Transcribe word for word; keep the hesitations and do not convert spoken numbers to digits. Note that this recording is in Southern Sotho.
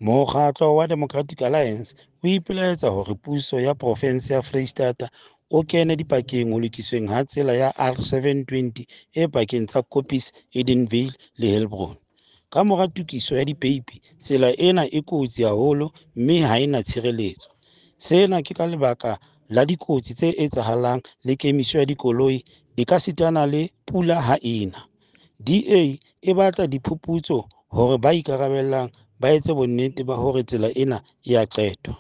Mokgatlo wa Democratic Alliance o ipelaetsa hore puso ya profinse ya Freistata o kene dipakeng ho lokisweng ha tsela ya R seven twenty e pakeng tsa Koppies, Edenvale le Heilbron. Ka mora tokiso ya dipeipi, tsela ena e kotsi haholo mme ha e na tshireletso. Sena ke ka lebaka la dikotsi tse etsahalang le kemiso ya dikoloi ekasitana le pula ha e na. D A e batla diphuputso hore ba ikarabellang ba etse bonnete ba hore tsela ena e a qetwa.